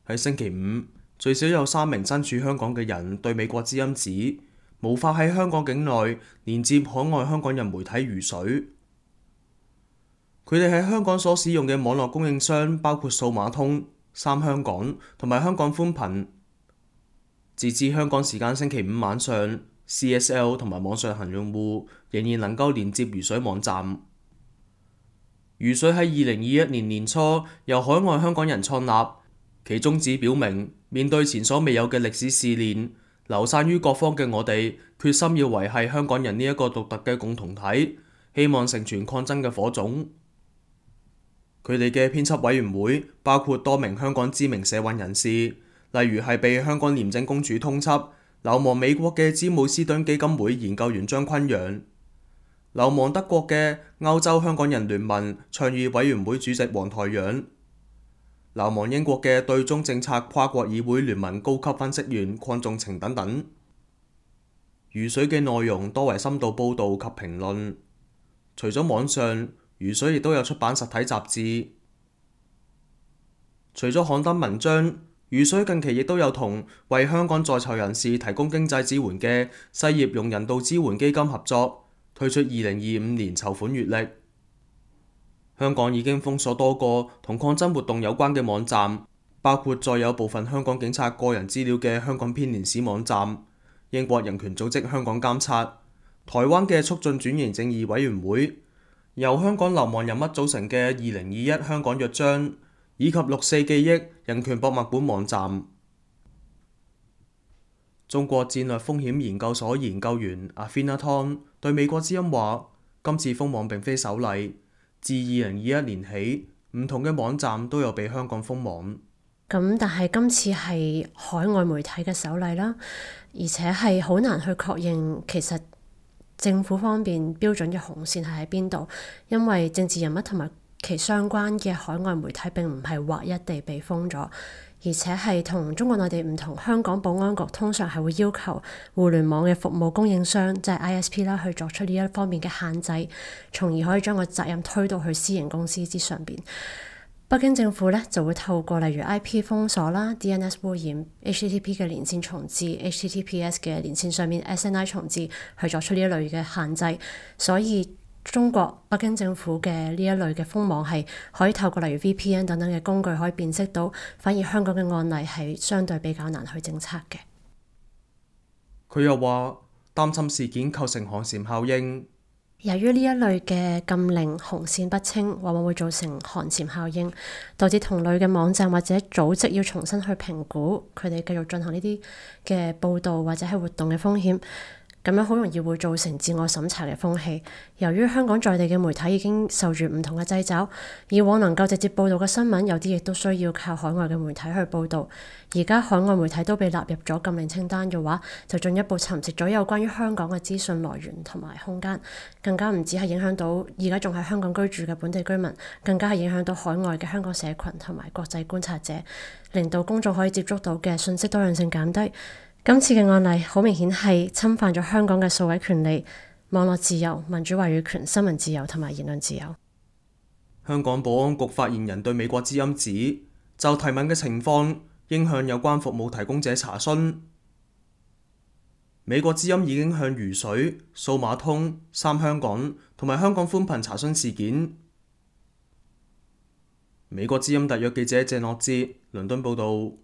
喺星期五，最少有3名身處香港嘅人對美國之音指，無法喺香港境內連接海外香港人媒體如水。佢哋喺香港所使用嘅網絡供應商包括數碼通、三香港同埋香港寬頻。截至香港時間星期五晚上， CSL 同埋網上行用戶仍然能夠連接如水網站。如水喺2021年年初由海外香港人創立，其宗旨表明，面對前所未有嘅歷史試煉，流散於各方嘅我哋決心要維繫香港人呢一個獨特嘅共同體，希望成全抗爭嘅火種。佢哋嘅編輯委員會包括多名香港知名社運人士，例如係被香港廉政公署通緝流亡美國嘅詹姆斯敦基金會研究員張坤陽，流亡德國嘅歐洲香港人聯盟倡議委員會主席黃台仰，流亡英國嘅對中政策跨國議會聯盟高級分析員鄺仲晴等等。如水嘅內容多為深度報導及評論，除咗網上，如水亦都有出版實體雜誌。除咗刊登文章，如水近期亦都有同為香港在囚人士提供經濟支援嘅失業用人道支援基金合作，推出2025年籌款月曆。香港已經封鎖多個同抗爭活動有關嘅網站，包括載有部分香港警察個人資料嘅香港編年史網站、英國人權組織香港監察、台灣嘅促進轉型正義委員會、由香港流亡人物組成嘅2021香港約章，以及6·4記憶人權博物館網站。中國戰略風險研究所研究員阿菲娜湯對美國之音話：今次封網並非首例，自2021年起，唔同嘅網站都有被香港封網。咁但係今次係海外媒體嘅首例啦，而且係好難去確認其實政府方面標準嘅紅線係喺邊度，因為政治人物同埋其相關嘅海外媒體並唔係劃一地被封咗，而且係同中國內地唔同。香港保安局通常係會要求互聯網嘅服務供應商，即係 ISP 啦，去作出呢一方面嘅限制，從而可以將個責任推到去私營公司之上邊。北京政府咧就會透過例如 IP 封鎖啦、DNS 污染、HTTP 嘅連線重置、HTTPS 嘅連線上面 SNI 重置去作出呢一類嘅限制，所以中國北京政府嘅呢一類嘅封網係可以透過例如 VPN 等等嘅工具可以辨識到，反而香港嘅案例係相對比較難去偵測嘅。佢又話擔心事件構成寒蟬效應。由於呢一類嘅禁令紅線不清，往往會造成寒蟬效應，導致同類嘅網站或者組織要重新去評估佢哋繼續進行呢啲嘅報導或者係活動嘅風險。咁樣好容易會造成自我審查嘅風氣。由於香港在地嘅媒體已經受住唔同嘅掣肘，以往能夠直接報導嘅新聞，有啲亦都需要靠海外嘅媒體去報導。而家海外媒體都被納入咗禁令清單嘅話，就進一步蠶食咗有關於香港嘅資訊來源同埋空間，更加唔止係影響到而家仲喺香港居住嘅本地居民，更加係影響到海外嘅香港社群同埋國際觀察者，令到公眾可以接觸到嘅信息多樣性減低。今次嘅案例好明顯係侵犯咗香港嘅數位權利、網絡自由、民主話語權、新聞自由同埋言論自由。香港保安局發言人對美國之音指，就提問嘅情況應向有關服務提供者查詢。美國之音已經向如水、數碼通、三香港同埋香港寬頻查詢事件。美國之音特約記者謝諾哲倫敦報導。